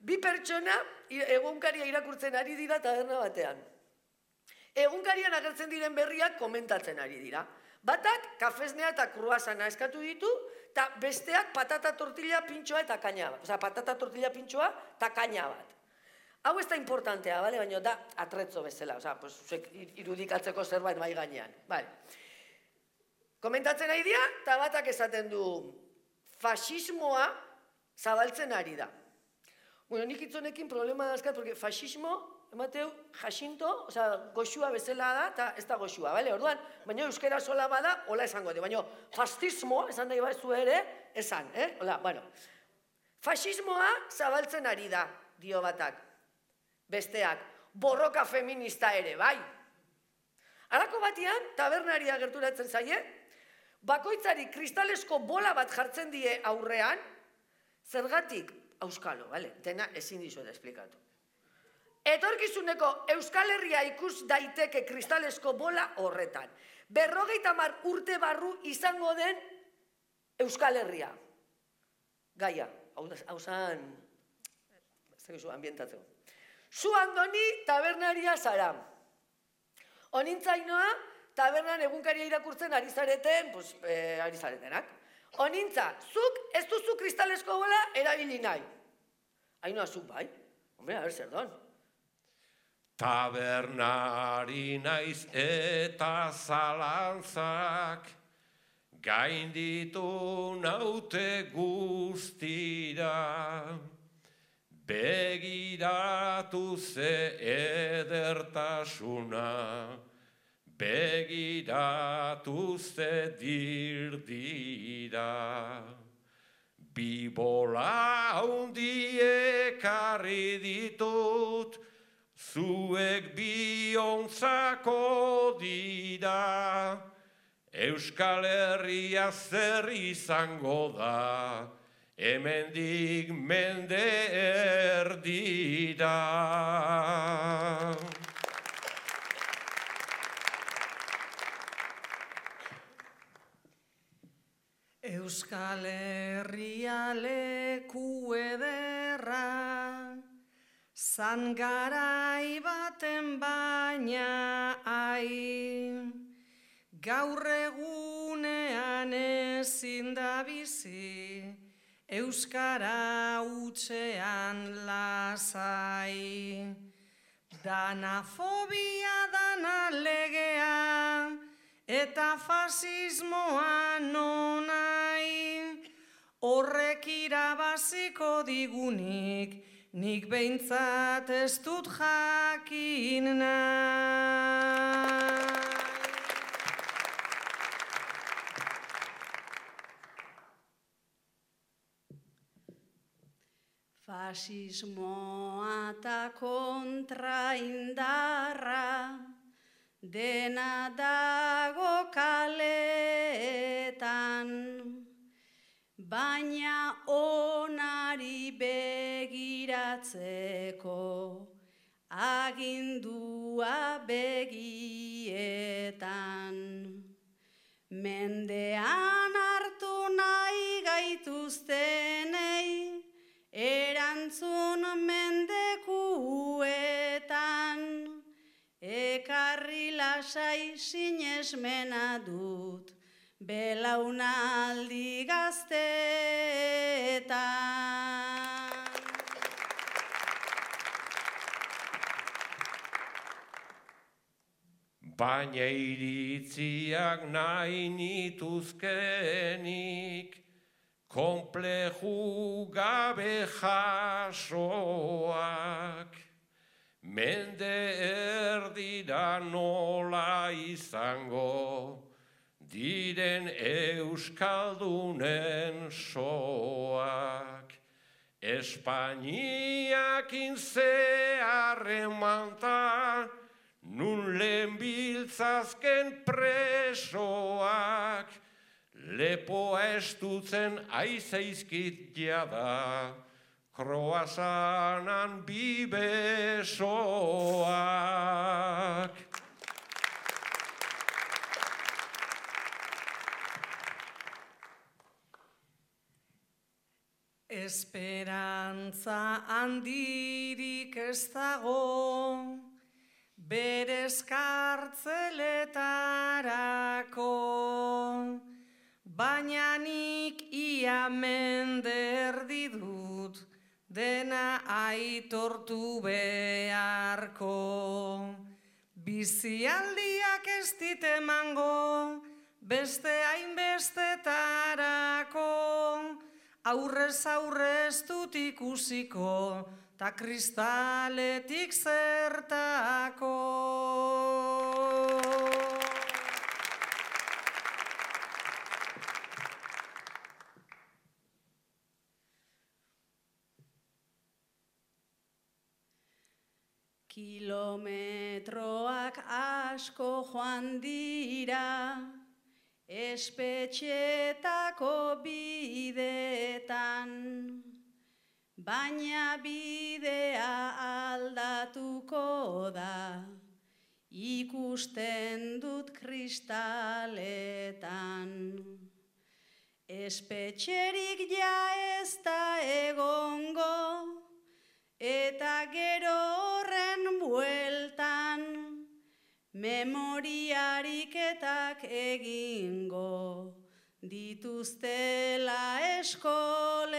Bi pertsona egunkaria irakurtzen ari dira taberna batean. Egunkarian agertzen diren berriak komentatzen ari dira. Batak kafesnea eta kruasana eskatu ditu, eta besteak patata tortilla pintxoa eta kaina bat. Osa, patata tortilla pintxoa eta kaina bat. Hau ez da importantea, bale? Baina da atretzo bezala, osa, irudikatzeko zerbait bai gainean. Komentatzen ari dira, eta batak esaten du, fasismoa zabaltzen ari da. Bueno, nik itzonekin problema dazkat, porque fasismo, emateu, jasinto, oza, goxua bezala da, eta ez da goxua, bale? Orduan, baina euskera sola bada, hola esango de, baina fascismo, esan da ibazu ere, esan, Hola, bueno. Fasismoa zabaltzen ari da, dio batak. Besteak, borroka feminista ere, bai. Halako batean, tabernaria gerturatzen zaie, bakoitzari kristalesko bola bat jartzen die aurrean, zergatik, auskalo, bale? Dena ezin dizuet esplikatu. Etorkizuneko Euskal Herria ikus daiteke kristalesko bola horretan. 50 urte barru izango den Euskal Herria. Gaia, hau zan, ambientatzeko. Zu Andoni tabernaria zara. Onintzainoa tabernan egunkaria irakurtzen ari zaretenak. Onintza, zuk ez duzu kristalesko bola erabili nahi. Ainoa, zuk bai? Hombre, a ber, zer don. Tabernari naiz eta zalantzak gainditu naute guztira. Begiratu ze edertasuna, begiratu ze dirdira. Bi bola handiek ekarri ditut, zuek biontzako dira. Euskal Herria zer izango da, hemendik mende erdira. Euskal Herria leku ederra, zangarai baten baina gaur egunean ezin da bizi, euskara hutsean lasai. Dana fobia, dana legea, eta fasismoa nonai. Horrek irabaziko digunik, nik behintzat ez dut jakin nahi. Fasismoa eta kontraindarra dena dago kaletan, baina onari begiratzeko agindua begietan. Mendean hartu nahi gaituztenei, erantzun mendekuetan, ekarri lasai sinesmena dut, belaunaldi gazteetan. Baina iritziak nahi nituzkenik, konpleju gabe jasoak, mende erdira nola izango, diren euskaldunen soak. Espainiakin zeharremanta, nun lehen biltzazken presoak, lepoa estutzen aizeizkit jada, kroasanan bibesoak. Esperantza handirik ez dago, berez kartzeletarako, baina nik ia mende erdi dut, dena aitortu beharko. Bizialdiak ez dit emango, beste hainbestetarako, aurrez aurrez dut ikusiko, ta kristaletik zertako. Kilometroak asko joan dira, espetxetako bideetan, baina bidea aldatuko da, ikusten dut kristaletan. Espetxerik ja ez da egongo, eta gero horren bueltan, memoriariketak egingo dituztela eskoletan.